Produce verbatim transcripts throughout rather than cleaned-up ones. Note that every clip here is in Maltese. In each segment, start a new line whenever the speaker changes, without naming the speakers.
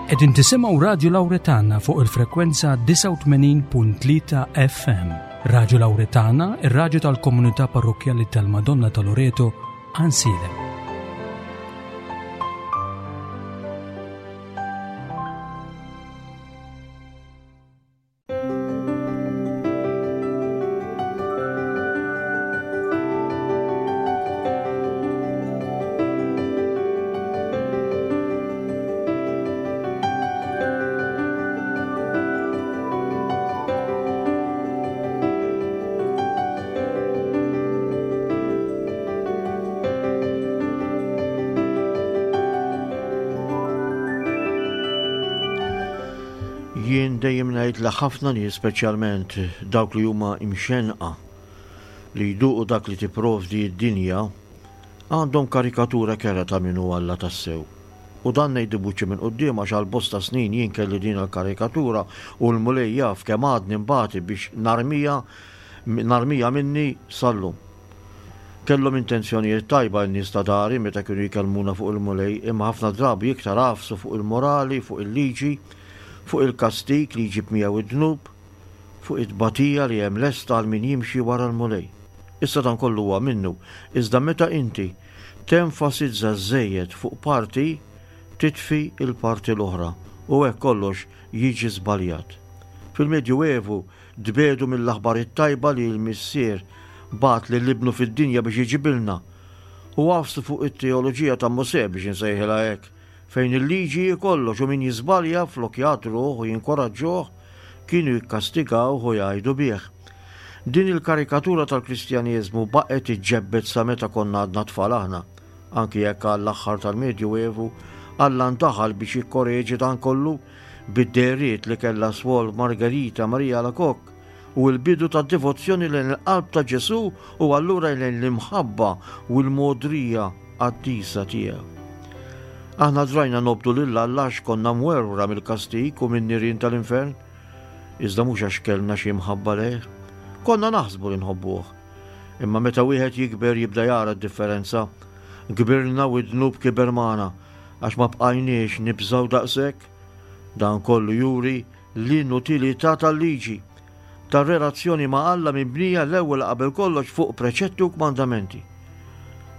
Qegħdin tisimgħu Radju Lawretana fuq il-frekwenza disgħa u tmenin punt tlieta F M. Radju Lawretana, ir-radju tal-Komunità Parrokkjali tal-Madonna ta' Loreto, Għajnsielem.
Jien dejjem ngħid li ħafna nies, speċjalment dawk li huma imxenqa li jduqu dak li tipprovdi d-dinja, għandhom karikatura kerha ta' min hu Alla tassew. U dan ngħidu buċi minn quddiem għax għal bosta snin jien kelli din il-karikatura u l-Mulej jaf kemm għadni nbati biex narmija narmija minni sal-lum. Kellhom intenzjonijiet tajba n-nies ta' dari meta kienu jkellmuna fuq il-Mulej, imma ħafna drabi iktar għafsu fuq il-morali, fuq il-liġi, fuq il-kastik li jġib miegħu id-dnub, fuq it-tbatija li hemm lesta għal min jimxi wara l-Mulej. Issa dan kollu huwa minnu, iżda meta inti tenfasizza żejjed fuq parti, titfi il-parti l-oħra u hekk kollox jiġi żbaljat. Fil-Medju Evu tbiegħdu mill-aħbar it-tajba li l-Missier bagħat lil ibnu fid-dinja biex iġibilna u għafsu fuq it-teoloġija ta' Mosè, biex insejħilha hekk, fejn il-liġi kollox u min jiżbalja, flok jagħdruh u jinkoraġġuh, kienu jikkastigawh u jgħidu bih. Din il-karikatura tal-Kristjaneżmu baqgħet iġġebbet sa meta konna għadna tfal aħna, anki jekk għall-aħħar tal-Medju Evu Alla ndaħal biex jikkoreġi dan kollu bid-dehriet li kellha Swor Margherita Maria Alacoque u l-bidu ta' devozzjoni lejn il-qalb ta' Ġesù u allura lejn l-imħabba u l-mogħdrija qaddisa tiegħu. Aħna drajna nobdu lil Alla għax konna mwerwra mill-kastik u minn nirien tal-infern, iżda mhux għax kellna xi mħabba lejh. Konna naħsbu li nħobbuh. Imma meta wieħed jikber jibda jara d-differenza. Kbirna u d-dnub kiber magħna għax ma bqajniex nibżgħu daqshekk. Dan kollu juri l-inutilità tal-liġi, tar-relazzjoni ma' Alla mibnija l-ewwel qabel kollox fuq preċetti u kmandamenti.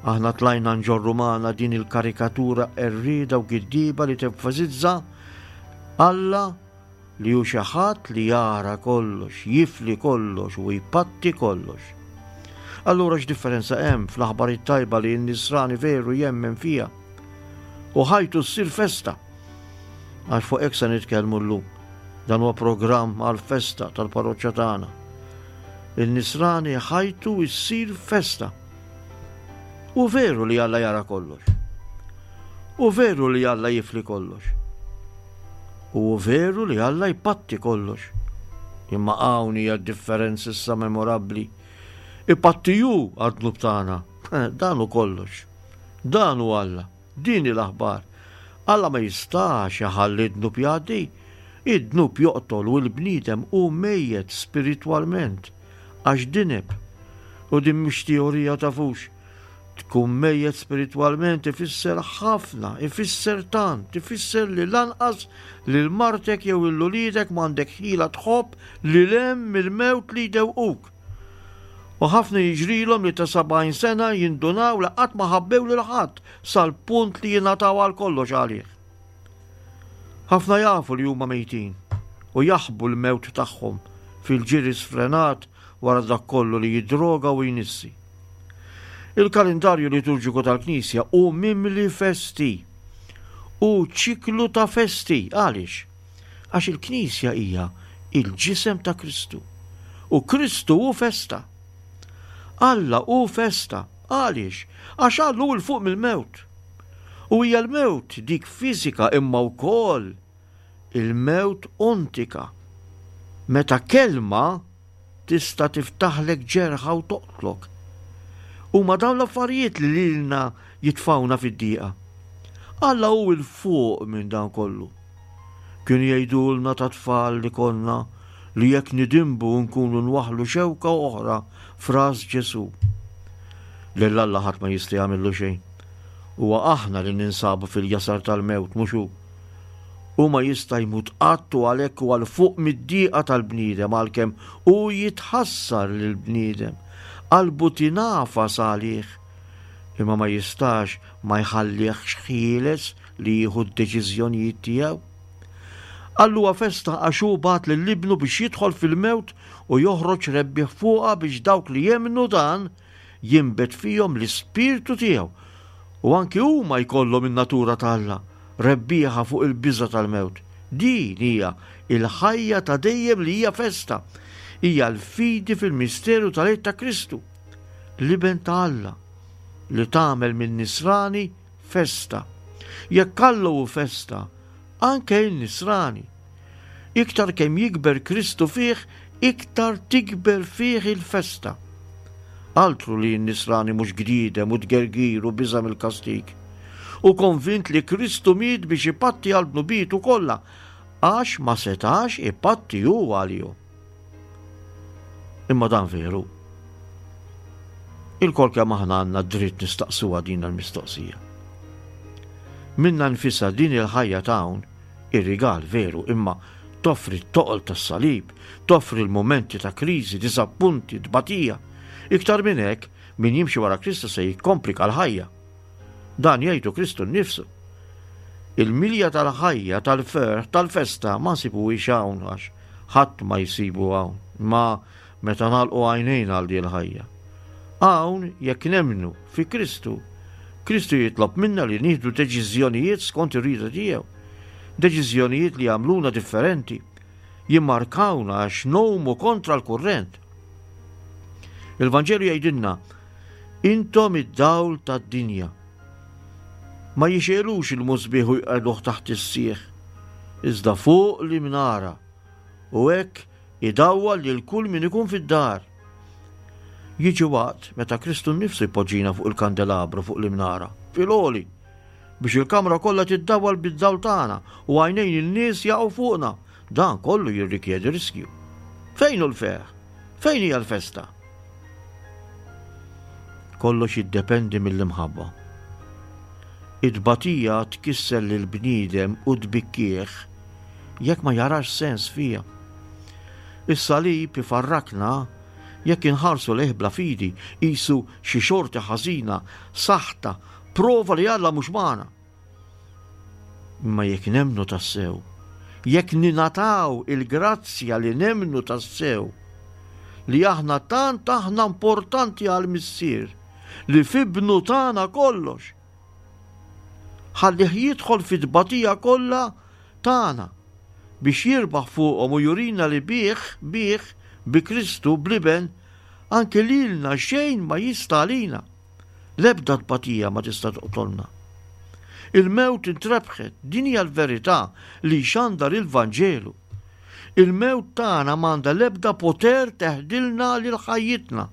Aħna tlajna nġorru magħna din il-karikatura qerrieda u giddiba li tenfasizza Alla li hu xi ħadd li jara kollox, jifli kollox u jpatti kollox. Allura x'differenza hemm fl-aħbar it-tajba li n-nisrani veru jemmen fija u ħajtu ssir festa? Għax fuq hekk se nitkellmu llum. Dan huwa programm għal-festa tal-parroċċa tagħna. Il-nisrani ħajtu ssir festa. U veru li Alla jara kollox. U veru li Alla jifli kollox. U veru li Alla jpatti kollox. Imma hawn hija differenza issa memorabbli. Ipatti hu għad-dnub tagħna. Dan hu kollox. Dan hu Alla. Din l-aħbar. Alla ma jistax iħalli d-dnub jgħaddi. Id-dnub joqtol u l-bniedem hu mejjet spiritwalment għax dineb. U din mhux teorija, tafux. Tkun mejjet spiritwalment ifisser ħafna, ifisser tant, ifisser li lanqas lil martek jew lil uliedek m'għandek ħila tħobb li lem mill-mewt li jdewquk. U ħafna jiġrilhom li ta' sebgħin sena jindunaw li qatt ma ħabbew lil ħadd sal-punt li jingħataw għal kollox għalih. Ħafna jafu li huma mejtin u jaħbu l-mewt tagħhom fil-ġiri sfrenat wara dak kollu li jidroga u jnissi. Il-kalendarju liturġiku tal-Knisja hu mimli festi u ċiklu ta' festi. Għaliex? Għax il-Knisja hija il-ġisem ta' Kristu. U Kristu hu festa. Alla hu festa. Għaliex? Għax Alla hu 'l fuq mill-mewt. U hija l-mewt dik fiżika imma wkoll il-mewt ontika. Meta kelma tista' tiftaħlek ġerħa u toqtlok. Huma dawn l-affarijiet li lilna jitfawna fid-diqa. Alla hu 'l fuq minn dan kollu. Kienu jgħidulna ta' tfal li konna li jekk nidinbu nkunu nwaħlu xewka oħra f'ras Ġesu. Lil Alla ħadd ma jista' jagħmillu xejn. Huwa aħna li ninsabu fil-jasar tal-mewt, mhux hu. Hu ma jista' jmut qatt u għalhekk huwa 'l fuq mid-dieqa tal-bniedem għalkemm hu jitħassar lill-bniedem. Qalbu tingħafas għalih. Imma ma jistax ma jħallihx ħieles li jieħu d-deċiżjonijiet tiegħu. Alla huwa festa għax hu bagħat lil ibnu biex jidħol fil-mewt u joħroġ rebbieħ fuqha biex dawk li jemmnu dan jinbet fihom l-ispirtu tiegħu u anki huma jkollhom in-natura ta' Alla, rebbieħa fuq il-biża' tal-mewt. Din hija il-ħajja ta' dejjem li hija festa. Hija l-fidi fil-misteru tal-Għid ta' Kristu, l-Iben ta' Alla, li tagħmel minn nisrani festa. Jekk Alla hu festa, anke il-nisrani. Iktar kemm jikber Kristu fih, iktar tikber fih il-festa. Altru li n-nisrani mhux gdidem u tgergir u biża' mill-kastig. U konvint li Kristu miet biex ipatti għal dnubietu kollha, għax ma setax ipatti hu għalihom. Imma dan veru. Ilkoll kemm aħna għandna dritt nistaqsuha din il-mistoqsija. Minnha nfisha din il-ħajja ta' hawn ir-rigal veru, imma toffri t-toqol tas-salib, toffri l-mumenti ta' kriżi, diżappunti, tbatija. Iktar minn hekk, min jimxi wara Kristu se jikkomplika l-ħajja. Dan jgħidu Kristu nnifsu. Il-milja tal-ħajja, tal-ferħ, tal-festa ma nsibuhiex hawn għax ħadd ma jsibu hawn, ma meta nagħlqu għajnejna għal din il-ħajja. Hawn jekk nemmnu fi Kristu, Kristu jitlob minna li nieħdu deċiżjonijiet skont ir-rieda tiegħu. Deċiżjonijiet li jagħmluna differenti, jimmarkawna għax ngħumu kontra l-kurrent. Il-Vanġelu jgħidilna, intom id-dawl tad-dinja. Ma jixegħlux il-musbieħ u jqegħduh taħt is-sieħ, iżda fuq l-imnara, u hekk idawwal lil kull min ikun fid-dar. Jiġi waqt meta Kristu nnifsu jpoġġina fuq il-kandelabru fuq l-imnara, fil-għoli, biex il-kamra kollha tiddawwal bid-dawl tagħna u għajnejn in-nies jaqgħu fuqna. Dan kollu jirrikjedi riskju. Fejn hu l-ferħ? Fejn hija l-festa? Kollox jiddependi mill-imħabba. It-tbatija tkisser lill-bniedem u tbikkih jekk ma jarax sens fiha. Is-salib ifarrakna jekk inħarsu lejh bla fidi, qisu xi xorti ħażina, saħta, prova li Alla mhux magħna. Imma jekk nemmnu tassew, jekk ninataw il-grazzja li nemmnu tassew, li aħna tant aħna importanti għal-Missier, li f'ibnu tagħna kollox. Ħallih jidħol fit-tbatija kollha tagħna biex jirbaħ fuqhom u jurina li bih, bih, bi Kristu, bl-Iben, anke lilna xejn ma jista' għalina. L-ebda tbatija ma tista' toqtolna. Il-mewt intrebħet, din hija l-verità li xandar il-Vanġelu. Il-mewt tagħna m'għandha l-ebda poter teħdilna lil ħajjitna.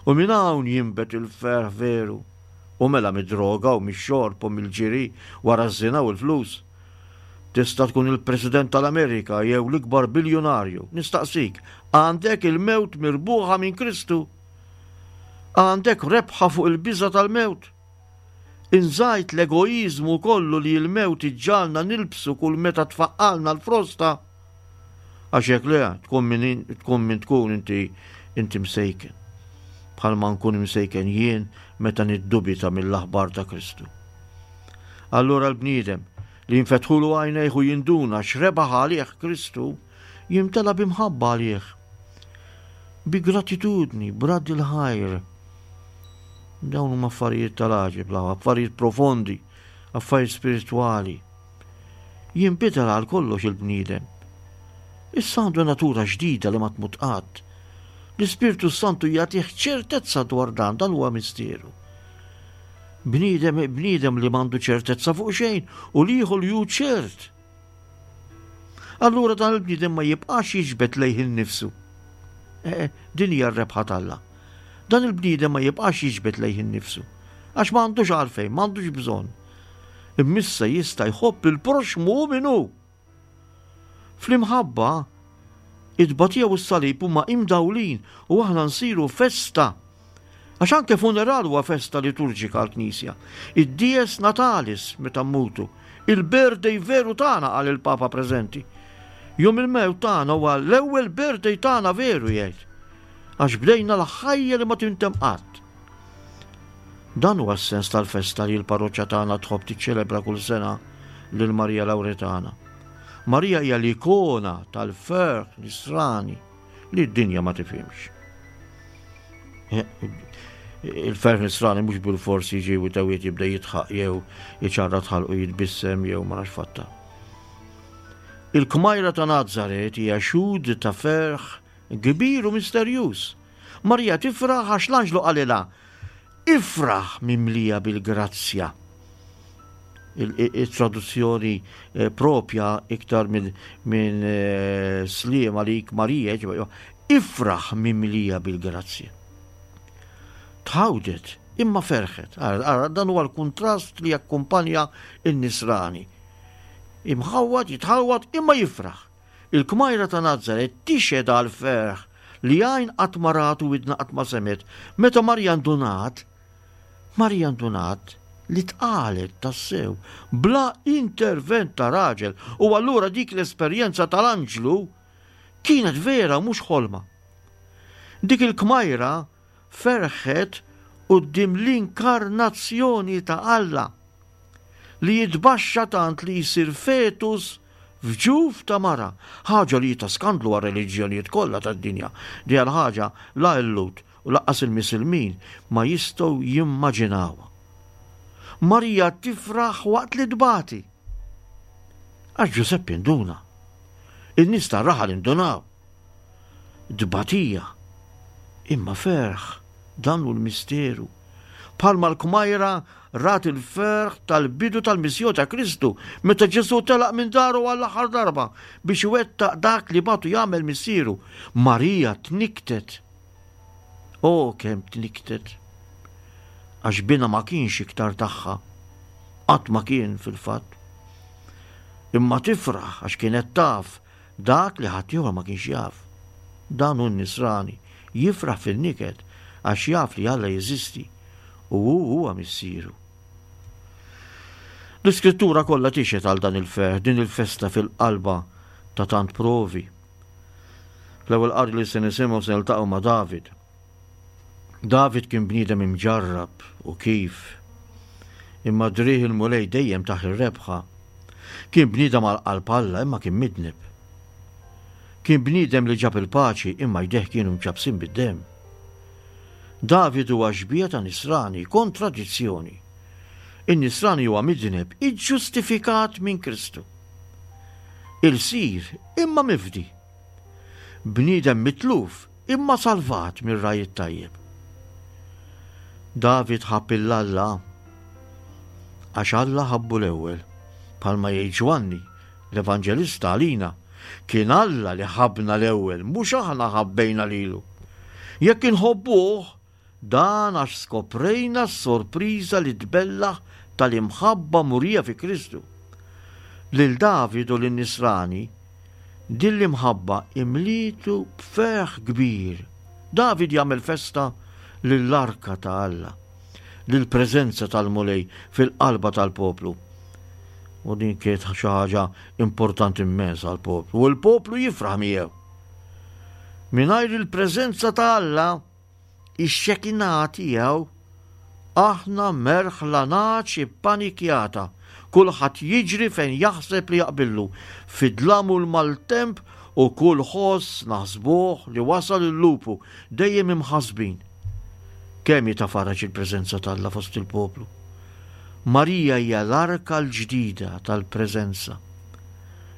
U minn hawn jinbet il-ferħ veru. U mela mid-droga u mix-xorb u mill-ġiri wara ż-żina u l-flus. Tista' tkun il-President tal-Amerika jew l-ikbar biljunarju. Nistaqsik, għandek il-mewt mirbuħa minn Kristu? Għandek rebħa fuq il-biża tal-mewt? Inżajt l-egoizmu kollu li l-mewt iġġagħalna nilbsu kull meta tfaqqalna l-frosta? Għax hekk le, tkun min tkun min tkun inti inti msejken. Bħalma nkun msejken jien meta niddubita mill-aħbar ta' Kristu. Allura l-bniedem li jinfetħulu għajnejh u jinduna x'rebaħ għalih Kristu, jimtela b'imħabba għalih. Bi gratitudni, b'radd il-ħajr. Dawn huma affarijiet tal-għaġeb, affarijiet profondi, affarijiet spiritwali. Jinbidel għal kollox il-bniedem. Issa għandu natura ġdida li ma tmut qatt. L-Ispirtu Santu jagħtih ċertezza dwar dan, dan huwa misteru. Bniedem, bniedem li m'għandu ċertezza fuq xejn u liħu li hu ċert. Allura dan il-bniedem ma jibqax jiġbed lejh innifsu. Eh, din hija r-rebħa t'Alla. Dan il-bniedem ma jibqax jiġbed lejh innifsu. Għax ma għandux għalfejn, ma għandux bżonn. Imma issa jista' jħobb il-proxmu min hu. Fl-imħabba, it-tbatija u s-salib huma imdawlin u aħna nsiru festa. Għax anke funeral huwa festa liturġika għall-Knisja. Id-dies natalis meta mmutu, il-birthday veru tagħna qal il-Papa preżenti. Jum il-mewt tagħna huwa l-ewwel birthday tagħna veru jgħid. Għax bdejna l-ħajja li ma tintemm qatt. Dan huwa s-sens tal-festa li l-parroċċa tagħna tħobb tiċċelebra kull sena lil Marija Lawretana. Marija hija l-ikona tal-ferħ nisrani li d-dinja ma tifhimx. Il-ferħ nisrani mhux bil-forsi jiġi u tawiet jibda jidħaq jew jiċarrat ħalqu jitbissem jew ma nafx fatta. Il-kmajra ta' Nazaret hija xhud ta' ferħ kbir u misterjuż. Marija tifraħ għax l-anġlu qalilha, ifraħ mimlija bil-grazzja. Il-traduzzjoni eh, propja iktar minn min, eh, sliem għalik Marija, ifraħ mimlija bil-grazzja. Tħawdet, imma ferħet. Ara, dan huwa l-kuntrast li jakkumpanja in-nisrani. Imħawwad, jitħawwad, imma jifraħ. Il-kmajra ta' Nazaret tixhed għal ferħ li għajn qatt ma rat u widna qatt ma semgħet. Meta Marija ndunat, Marija ndunat li tqalet tassew bla intervent ta' raġel u allura dik l-esperjenza tal-anġlu kienet vera mhux ħolma. Dik il-kmajra ferħet quddiem l-inkarnazzjoni ta' Alla li jitbaxxa tant li jsir fetus f'ġuf ta' mara, ħaġa li ta' skandlu għar-reliġjonijiet kollha tad-dinja. Di għal ħaġa la l-Lhud u lanqas il-Misilmin ma jistgħu jimmaġinawha. Marija tifraħ waqt li tbati. Għax Ġużeppi nduna. In-nies tar-raħal indunaw. Tbatija, imma ferħ, dan hu l-misteru. Bħalma l-kmajra rat il-ferħ tal-bidu tal-missjoni ta' Kristu meta Ġesù telaq minn daru għall-aħħar darba biex iwettaq dak li bagħtu jagħmel missieru. Marija tniktet. O kemm tniktet. Għax binha ma kienx iktar tagħha. Qatt ma kien fil-fatt. Imma tifraħ għax kienet taf dak li ħaddieħor ma kienx jaf. Dan hu n-nisrani, jifraħ fil-niket għax jaf li Alla jeżisti u hu huwa missieru. L-iskrittura kollha tixhed għal dan il-ferħ, din il-festa fil-qalba ta' tant provi. L-ewwel qari li se nisimgħu se niltaqgħu ma' David. David kien bniedem imġarrab u kif. Imma driegħ il-Mulej dejjem tah ir-rebħa. Kien bniedem għal qalb Alla imma kien midneb. Kien bniedem li ġab il-paċi imma jdejh kienu mċappsin bid-demm. David huwa xbieha ta' nisrani, kontradizzjoni. In-nisrani huwa midneb iġġustifikat minn Kristu. Ilsir imma mifdi. Bniedem mitluf imma salvat mir-ragħaj it-tajjeb. David ħabb 'il Alla għax Alla ħabbu l-ewwel, bħalma jgħid Ġwanni l-Evanġelista għalina, kien Alla li ħabbna l-ewwel, mhux aħna ħabbejna lilu. Jekk inħobbuh, dan għax skoprejna s-sorpriża li tbellaħ tal-imħabba murija fi Kristu. Lil David u lin-nisrani, din l-imħabba imlietu b'ferħ kbir. David jagħmel festa lill-arka ta' Alla, lill-preżenza tal-Mulej fil-qalba tal-poplu. U din kienet xi ħaġa importanti immens għall-poplu. U l-poplu jifraħ miegħu. Mingħajr il-preżenza ta' Alla, ix-xekinà tiegħu, aħna merħla nagħaġ ippanikjata. Kulħadd jiġri fejn jaħseb li jaqbillu, fid-dlam u l-maltemp u kull ħoss naħsbuh li wasal il-lupu, dejjem imħassbin. Kemm hi ta' faraġ il-preżenza t'Alla fost il-poplu. Marija hija l-arka l-ġdida tal-preżenza.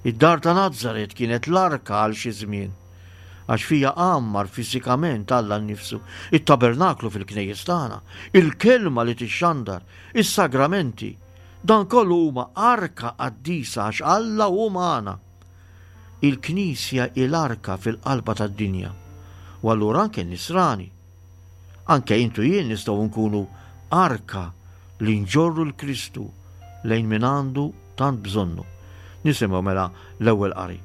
Id-dar ta' Nazaret kienet l-arka għal xi żmien, għax fija għammar fiżikament Alla nnifsu, it-tabernaklu fil-knejjes tagħna, il-kelma li tixxandar, is-sagramenti, dan kollu huma arka qaddisa għax Alla hu magħna. Il-Knisja hi l-arka fil-qalba tad-dinja, u allura anke n-nisrani. Anke intu jien nistgħu nkunu arka li nġorru l-Kristu lejn min għandu tant bżonnu. Nisimgħu mela l-ewwel qari.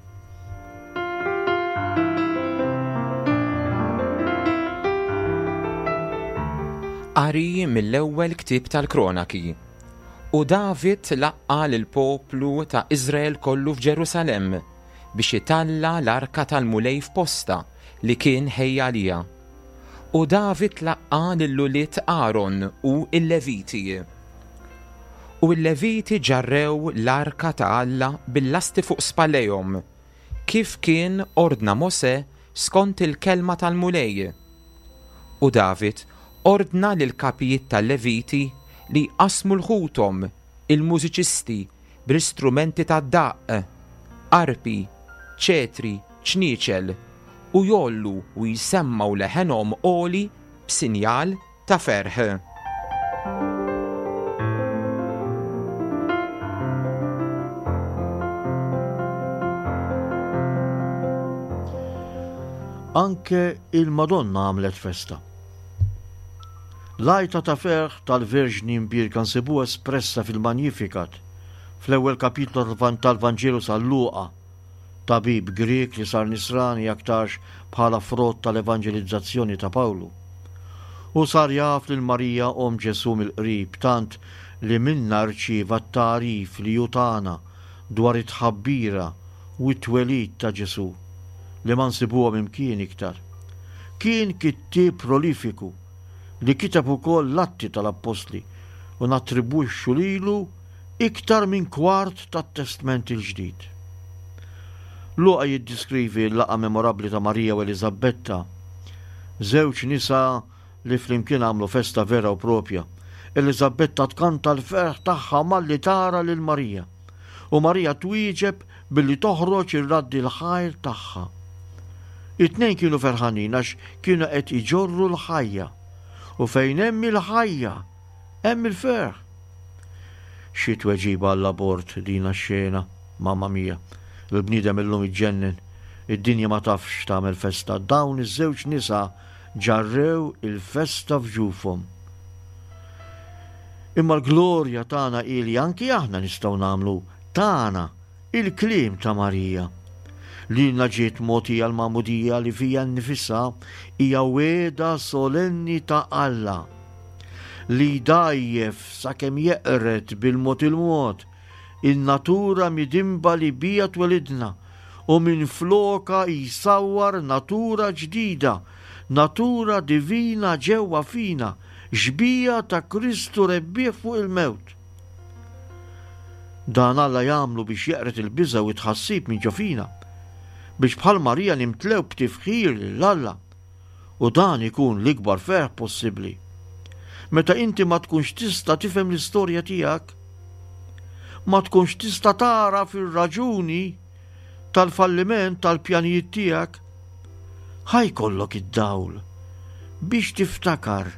Qari mill-ewwel ktieb tal-Kronaki. U David laqqa' lill-poplu ta' Iżrael kollu f'Ġerusalemm biex italla' l-arka tal-Mulej f'postha li kien ħejja għaliha. U David laqqa' lil ulied Aaron u l-Leviti. U l-Leviti ġarrew l-arka ta' Alla bil-lasti fuq spallejhom, kif kien ordna Mosè skont il-kelma tal-Mulej. U David ordna lill-kapijiet tal-Leviti li jqassmu 'l ħuthom, il-mużiċisti, bl-istrumenti tad-daqq, arpi, ċetri, ċnieċel, u jgħollu u jsemmgħu leħenhom għoli b'sinjal ta' ferħ.
Anke il-Madonna għamlet festa. L-għajta ta' ferħ tal-Verġni Mbierka nsibuha espressa fil-Magnificat, fl-ewwel kapitlu tal-Vanġelu San Luqa, tabib Grieg li sar nisrani aktarx bħala frott tal-evanġelizzazzjoni ta' Pawlu. U sar jaf lil Marija omm Ġesù mill-qrib, tant li minnha rċieva t-tagħrif li hu tana dwar it-tħabbira u t-twelid ta' Ġesù, li ma nsibuhom imkien iktar. Kien kittieb prolifiku li kiteb ukoll l-Atti tal-Appostli u nattribwixxu lilu iktar minn kwart tat-Testment il-Ġdid. Luqa jiddiskrivi l-laqgħa memorabbli ta' Marija u Eliżabetta, żewġ nisa li flimkien għamlu festa vera u propja. Eliżabetta tkanta l-ferħ tagħha malli tara lil Marija, u Marija twieġeb billi toħroġ ir-raddi l-ħajr tagħha. It-tnejn kienu ferħanin għax kienu qed iġorru l-ħajja, u fejn hemm il-ħajja hemm il-ferħ. Xi tweġiba għall-abort dina x-xena, mamma mia, il-bniedem illum iġġennen, id-dinja ma tafx tagħmel festa. Dawn iż-żewġ nisa ġarrew il-festa f'ġufhom. Imma l-glorja tagħna hi li anki aħna nistgħu nagħmlu tagħna il-kliem ta' Marija. Lilna ġiet mogħtija l-magħmudija li fija nnifisha hija wegħda solenni ta' Alla li jdajjef sakemm jeqred bil-mod il-mod in-natura midinba li bija twelidna u minfloka jsawwar natura ġdida, natura divina ġewwa fina, xbieha ta' Kristu rebbieħ fuq il-mewt. Dan Alla jagħmlu biex jeqred il-biża' u t-tħassib minn ġo fina, biex bħal Marija nimtlew b'tifħir lil Alla, u dan ikun l-ikbar ferħ possibbli. Meta inti ma tkunx tista' tifhem l-istorja tiegħek, ma tkunx tista' tara fir-raġuni tal-falliment tal-pjanijiet tiegħek, ħajkollok id-dawl biex tiftakar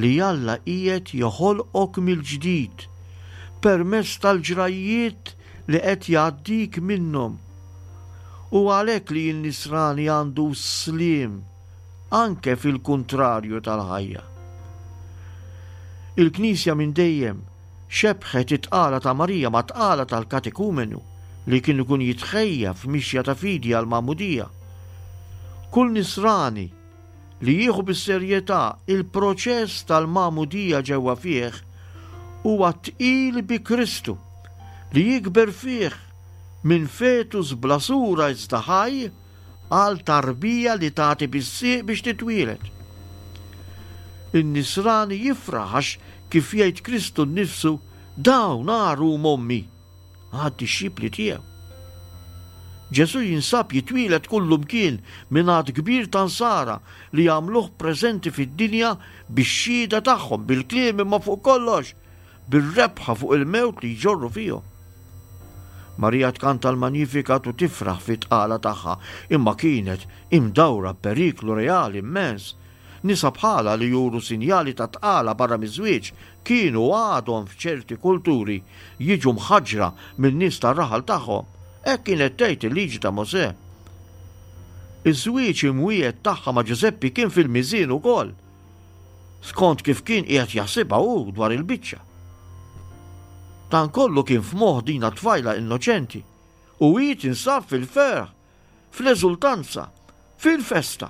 li Alla qiegħed joħolqok mill-ġdid permezz tal-ġrajjiet li qed jgħaddik minnhom. U għalhekk li n-nisrani għandu sliem anke fil-kuntrarju tal-ħajja. Il-Knisja minn dejjem xebħet it-tqala ta' Marija ma' tqala tal-katekumenu li kien ikun jitħejja f'mixja ta' fidi għal-magħmudija. Kull nisrani li jieħu bis-serjetà il-proċess tal-magħmudija ġewwa fih huwa tqil bi Kristu li jikber fih minn fetus bla sura iżda ħaj għal tarbija li tagħti bis-sieq biex titwieled. In-nisrani jifraħ għax kif jgħid Kristu nnifsu, dawn għaru mommi għad-dixxipli tiegħu. Ġesù jinsab jitwieled kullumkien minn għadd kbir ta' nsara li jagħmluh preżenti fid-dinja bix-xhieda tagħhom, bil-kliem imma fuq kollox bir-rebħa fuq il-mewt li jġorru fihom. Marija tkanta l-Magnificat u tifraħ fit-tqala tagħha, imma kienet imdawra b'periklu reali immens. Nisa bħala li juru sinjali ta' tqala barra miż-żwieġ kienu għadhom f'ċerti kulturi jiġu mħaġġra min-nies tar-raħal tagħhom. Hekk kienet tgħid il-liġi ta' Mosè. Iż-żwieġ imwiegħed tagħha ma' Ġużeppi kien fil-miżien ukoll, skont kif kien qiegħed jaħsibha hu dwar il-biċċa. Dan kollu kien f'moħħ dina tfajla innoċenti u hi tinsab fil-ferħ, fl-eżultanza, fil-festa.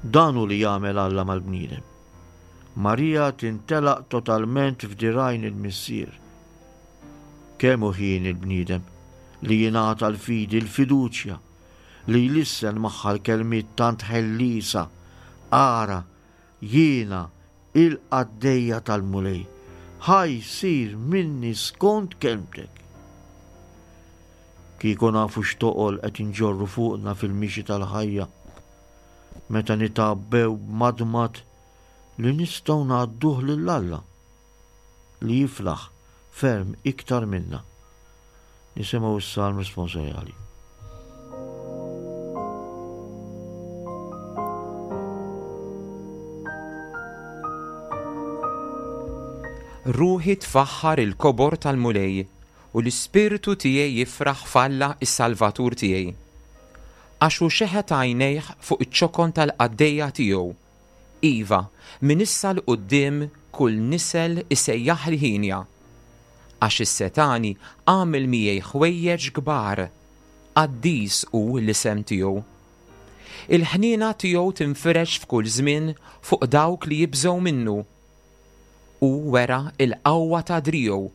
Dan hu li jagħmel Alla mal-bniedem. Marija tintelaq totalment f'dirajn il-Missier. Kemm hu ħin il-bniedem li jingħata l-fidi, l-fiduċja, li jlissen magħha l-kelmiet tant ħellisa, Ara, jiena il-qaddejja tal-Mulej, ħa jsir minni skont kelmtek. Kieku nafu x'toqol qed inġorru fuqna fil-mixi tal-ħajja, meta nitgħabbew b'madmad li nistgħu ngħadduh lil Alla, li jiflaħ ferm iktar minna. Nisimgħu s-salm responsorjali.
Ruħi tfaħħar il-kobor tal-Mulej u l-ispirtu tiegħi jifraħ f'Alla is-Salvatur tiegħi. Għax hu xeħet għajnejh fuq iċ-ċokon tal-qaddejja tiegħu. Iva, minn issa 'l quddiem kull nisel isejjaħli ħinja. Għax is-setani għamel miegħi ħwejjeġ kbar, qaddis hu l-isem tiegħu. Il-ħniena tiegħu tinfirex f'kull żmien fuq dawk li jibżgħu minnu. Hu wera l-qawwa ta' driegħu,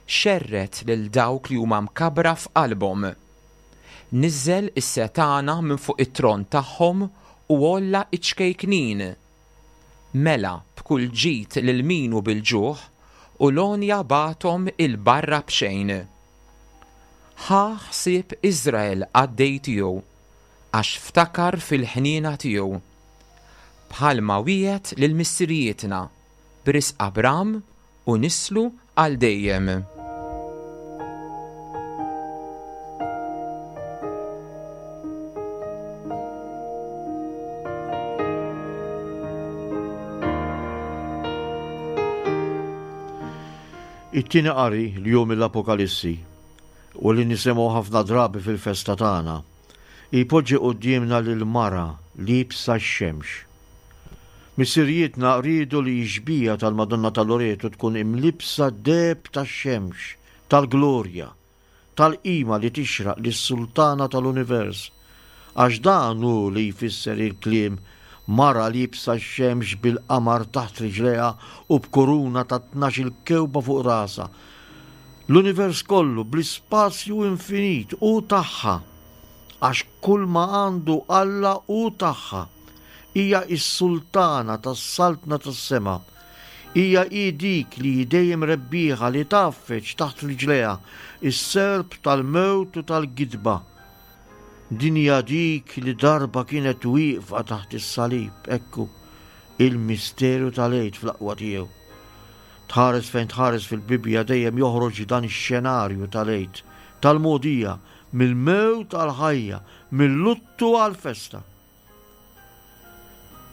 xerred lil dawk li huma mkabbra f'qalbhom. Niżżel is-setgħana minn fuq it-tron tagħhom u għolla iċ-ċkejknin. Mela b'kull ġid lil min hu bil-ġuħ u l-għonja bagħathom il-barra b'xejn. Ħa ħsieb Iżrael qaddej tiegħu, għax ftakar fil-ħniena tiegħu. Bħalma wiegħed lil missirijietna, b'risq Abram u nislu għal dejjem.
It-tieni qari li hu mill-Apokalissi u li nisimgħu ħafna drabi fil-festa tagħna, jpoġġi quddiemna lil mara liebsa x-xemx. Missirijietna riedu li x-xbieha tal-Madonna ta' Loreto tkun imlibsa deheb tax-xemx, tal-glorja, tal-qima li tixraq lis-Sultana tal-Univers, għax dan hu li jfisser il-kliem mara liebsa x-xemx bil-qamar taħt riġlejha u b'kuruna ta' tnax-il kewba fuq rasha. L-univers kollu bl-ispazju infinit hu tagħha, għax kull ma għandu Alla hu tagħha. Hija s-sultana tas-saltna tas-sema. Hija hi dik li dejjem rebbieħa li tgħaffeġ taħt riġlejha is-serp tal-mewt u tal-gidba. Din hija dik li darba kienet wieqfa taħt is-salib, ekku, il-misteru tal-Għid fl-aqwa tiegħu. Tħares fejn tħares fil-Bibbja dejjem joħroġ dan ix-xenarju tal-Għid, tal-mogħdija, mill-mewt għall-ħajja, mill-luttu għall-festa.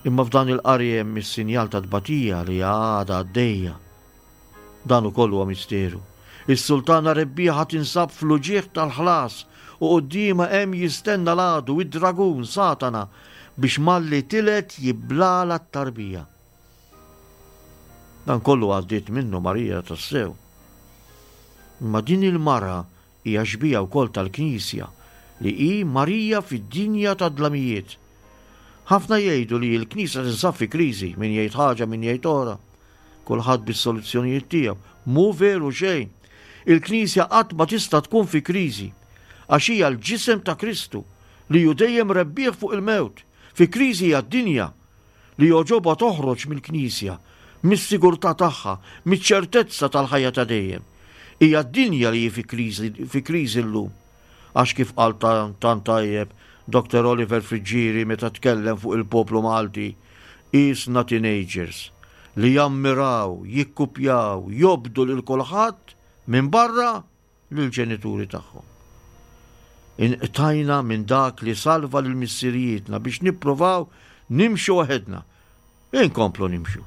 Imma f'dan il-qari hemm is-sinjal ta' tbatija li għadha għaddejja. Dan ukoll huwa misteru. Is-sultana rebbieħa tinsab fl-uġigħ tal-ħlas u quddiemha hemm jistenna l-għadu id-dragun Satana biex malli tilet jiblala t-tarbija. Dan kollu għaddiet minnu Marija tassew. Imma din il-mara hija xbieha wkoll tal-Knisja li hi Marija fid-dinja tad-dlamijiet. Ħafna jgħidu li l-Knisja tinsab fi kriżi, min jgħid ħaġa, min jgħid oħra. Kulħadd bis-soluzzjonijiet tiegħu. Mhu veru xejn. Il-Knisja qatt ma tista' tkun fi kriżi, għax hija l-ġisem ta' Kristu li hu dejjem rebbieħ fuq il-mewt. Fi kriżi hija d-dinja li jogħġobha toħroġ mill-Knisja, mis-sigurtà tagħha, miċ-ċertezza tal-ħajja ta' dejjem. Hija d-dinja li hi fi kriżi, fi kriżi llum. Għax kif qal tant tajjeb Doktor Oliver Friggieri meta tkellem fuq il-poplu Malti, qisna teenagers li jammiraw, jikkupjaw, jobdu lil kulħadd minn barra lill-ġenituri tagħhom. Inqtajna minn dak li salva lil missirijietna biex nippruvaw nimxu waħedna. Inkomplu nimxu.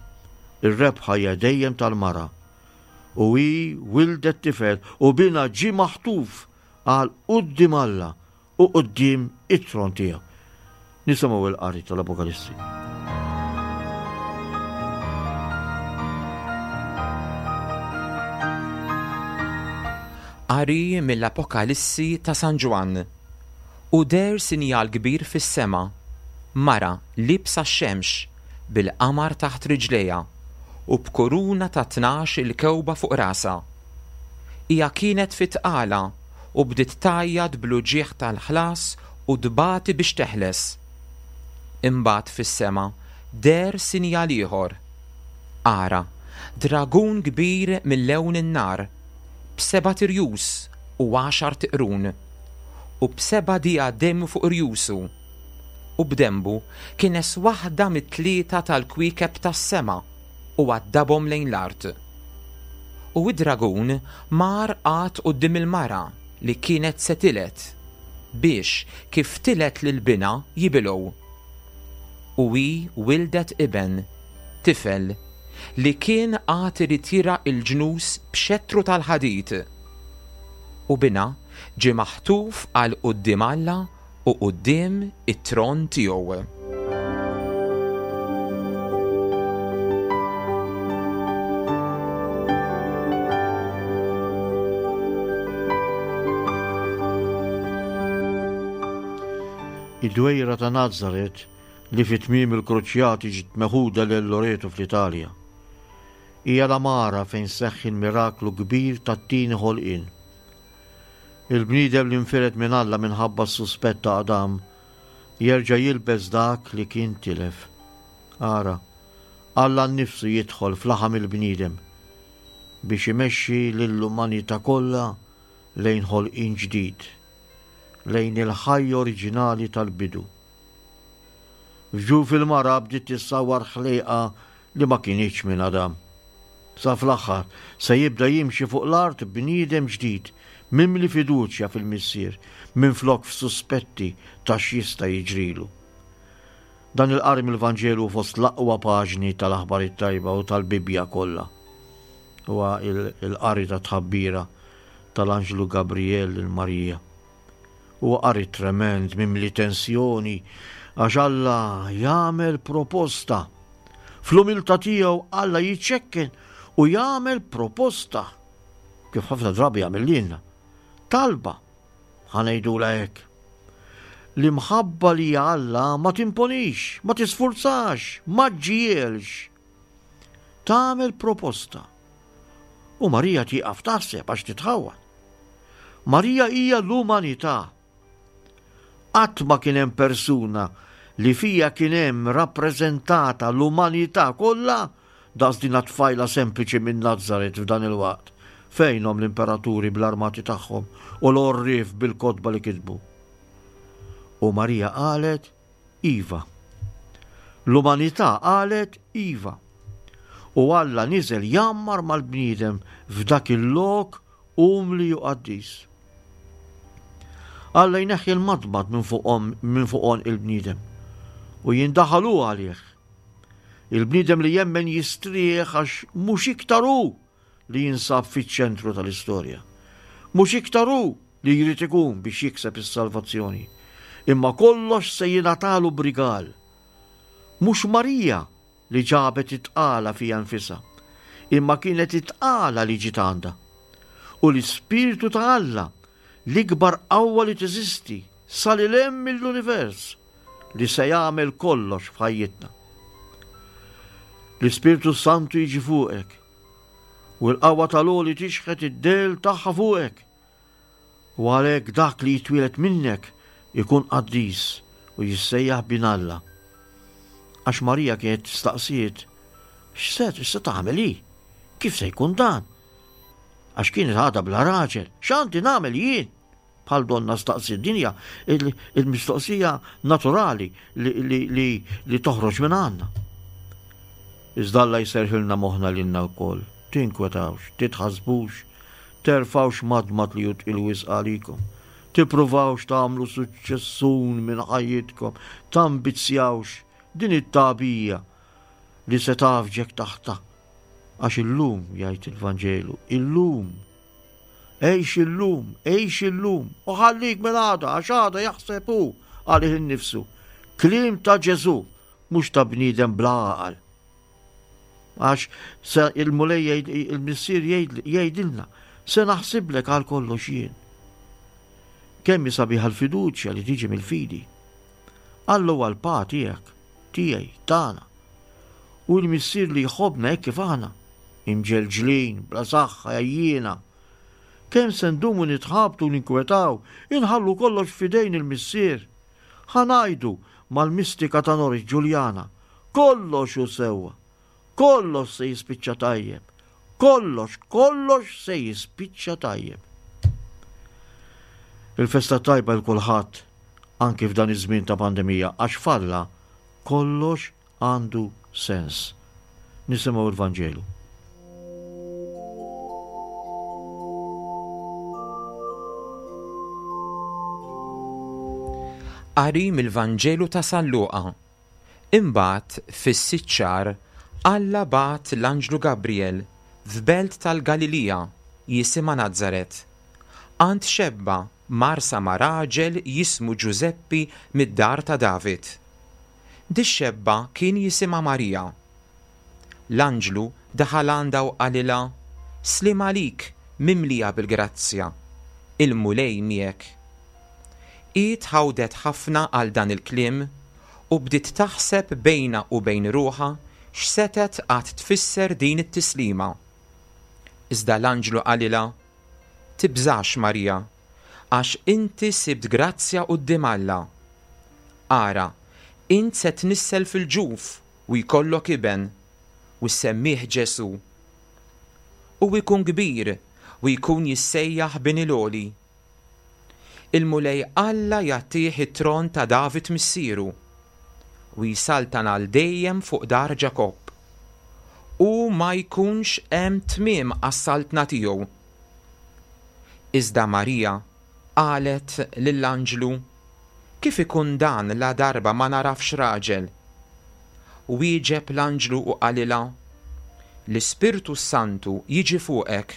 Ir-rebħa hija dejjem tal-mara. U hi wildet tifel u bina ġie maħtuf għal quddiem Alla u quddiem it-tron tiegħu. Nisimgħu l-qari tal-Apokalissi.
Qari mill-Apokalissi ta' San Ġwann. U deher sinjal kbir fis-sema, mara liebsa x-xemx, bil-qamar taħt riġlejha, u b'kuruna ta' tnax il-kewba fuq rasha. Hija kienet fit-tqala u bdiet tgħajjat bl-uġigħ tal-ħlas u tbati biex teħles. Imbagħad fis-sema deher sinjal ieħor. Ara, dragun kbir mil-lewn in-nar, b'sebat irjus u għaxart iqrun, u b'seba' dijademi fuq irjusu, u b'denbu kines waħda mit-tlieta tal-kwiekeb tas-sema u għaddabhom lejn l-art. U id-dragun mar qagħad quddiem il-mara li kienet se tiled, biex kif tiled lil binha jibilgħu. U hi wildet iben, tifel, li kien għad irid jirgħa l-ġnus b'xettru tal-ħadid. U binha ġie maħtuf għal quddiem Alla u quddiem it-tron tiegħu.
Id-dwejra ta' Nazaret li fi tmiem il-Kruċjati ġiet meħuda lil Loreto fl-Italja. Hija l-għamara fejn seħħ il-miraklu kbir tat-tieni ħolqien. Il-bniedem li nfired minn Alla minħabba s-suspett ta' Adam jerġa' jilbes dak li kien tilef. Ara, Alla nnifsu jidħol f'laħam il-bniedem biex imexxi lill-umanità kollha lejn ħolqien ġdid, lejn il-ħajja oriġinali tal-bidu. F'ġuf il-mara bdiet tissawwar ħlejqa li ma kinitx minn Adam. Sa fl-aħħar se jibda jimxi fuq l-art bniedem ġdid, mimli fiduċja fil-Missier, minflok f'suspetti ta' x'jista' jiġrilu. Dan il-qari mill-Vanġelu fost l-aqwa paġni tal-Aħbar it-Tajba u tal-Bibbja kollha. Huwa il-qari ta' tħabbira tal-Anġlu Gabriel lil Marija. Huwa qari tremend, mimli tensjoni, għax Alla jagħmel proposta. Fl-umiltà tiegħu Alla jiċċekken u jagħmel proposta, kif ħafna drabi jagħmel lilna. Talba, ħa ngħidulha hekk. L-imħabba li hija Alla ma timponix, ma tisfurzax, ma ġġielx. Tagħmel proposta. U Marija tieqaf taħseb għax titħawwad. Marija hija l-umanità. Qatt ma kien hemm persuna li fija kien hemm rappreżentata l-umanità kollha daqs din tfajla sempliċi minn Nazaret f'dan il-waqt. Fejnhom l-imperaturi bl-armati tagħhom u l-għorrief bil-kotba li kitbu. U Marija qalet iva. L-umanità qalet iva. U Alla niżel jammar mal-bniedem f'dak il-lok umli u qaddis. Alla jneħħi l-madmad minn fuqhom, minn fuq għonq il-bniedem u jindaħal hu għalih. Il-bniedem li jemmen jistrieħ għax mhux iktar hu li jinsab fiċ-ċentru tal-istorja. Mhux iktar hu li jrid ikun biex jikseb is-salvazzjoni. Imma kollox se jingħatalu b'rigal. Mhux Marija li ġabet it-tqala fija nfisha, imma kienet it-tqala li ġiet għandha. U l-Ispirtu ta' Alla, l-ikbar qawwa li teżisti sa lil hemm mill-univers, li se jagħmel kollox f'ħajjitna. L-Ispirtu Santu jiġi fuqek u l-qawwa tal-għoli tixħet id-del tagħha fuqek. U għalhekk dak li jitwieled minnek ikun qaddis u jissejjaħ bin Alla. Għax Marija kienet staqsiet, x'se x'se tagħmel hi? Kif se jkun dan? Għax kienet għadha bla raġel, x'għandi nagħmel jien? Bħal donna staqsi d-dinja, il-mistoqsija naturali li, li, li, li toħroġ minn għandna. Iżda Alla jserħilna moħħna lilna wkoll. Tinkwetawx, titħassbux, terfawx madmad li hu tqil wisq għalikom. Tippruvawx tagħmlu suċċessun minn ħajjitkom, tambizzjawx din it-tagħbija li se tafġek taħta. Għax illum, jgħid il-Vanġelu, illum, għix illum, għix illum, u ħallik minn għada, għax għada jaħseb hu għalih innifsu. Kliem ta' Ġesù, mhux ta' bniedem bla għaqal. Għax se il-Mulej jgħid, il-Missier jgħid, jgħidilna, se naħsiblek għal kollox jien. Kemm hi sabiħa l-fiduċja li tiġi mill-fidi. Alla huwa l-pa tiegħek, tiegħi, tagħna. Hu l-Missier li jħobbna hekk kif aħna, imġelġlin, bla saħħa, għajjiena. Kemm se ndumu nitħabtu u ninkwetaw, inħallu kollox f'idejn il-Missier. Ħa ngħidu mal-mistika ta' Norwich Ġuljana, kollox hu sewwa, kollox se jispiċċa tajjeb, kollox, kollox se jispiċċa tajjeb. Il-festa tajba 'l kulħadd anki f'dan iż-żmien ta' pandemija għax f'Alla kollox għandu sens. Nisimgħu l-Vanġelu.
Qari mill-Vanġelu ta' San Luqa. Imbagħad fis-sitt xahar Alla bagħat l-anġlu Gabriel f'belt tal-Galilija jisimha Nazaret, għand xebba marsa ma' raġel jismu Ġużeppi mid-dar ta' David. Dix-xebba kien jisimha Marija. L-anġlu daħal għandha u qalilha, Sliem għalik, mimlija bil-grazzja, il-Mulej miegħek. Hi tħawdet ħafna għal dan il-kliem u bdiet taħseb bejnha u bejn ruħha x'setgħet qatt tfisser din it-tislima. Iżda l-anġlu qalilha, Tibżax, Marija, għax inti sibt grazzja quddiem Alla. Ara, int se tnissel fil-ġuf u jkollok iben, u ssemmih Ġesù. U jkun kbir u jkun jissejjaħ Bin il-Għoli. Il-Mulej Alla jagħtih it-tron ta' David missieru u jsaltan għal dejjem fuq dar Ġakobb. U ma jkunx hemm tmiem għas-saltna tiegħu. Iżda Marija qalet lill-anġlu, Kif ikun dan la darba ma narafx raġel? Wieġeb l-anġlu u qalilha, L-Ispirtu s-Santu jiġi fuqek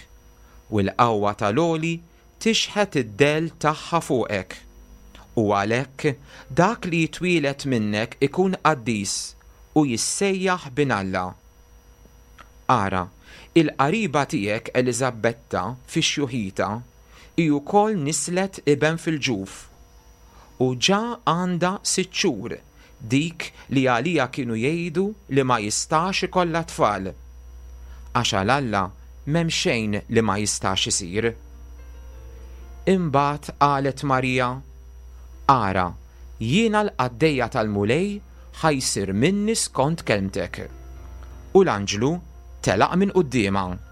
u l-qawwa tal-Għoli tixħet id-dell tagħha fuqek. U għalhekk dak li jitwieled minnek ikun qaddis u jissejjaħ Bin Alla. Ara, il-qariba tiegħek Eliżabetta fi xjuħita hi wkoll nislet iben fil-ġuf. U ġa għandha sitt xhur dik li għaliha kienu jgħidu li ma jistax ikollha tfal. Għax għal Alla m'hemm xejn li ma jistax isir. Imbagħad qalet Marija, Ara, jiena l-qaddejja tal-Mulej, ħa jsir minni skont kelmtek. U l-anġlu telaq minn quddiemha.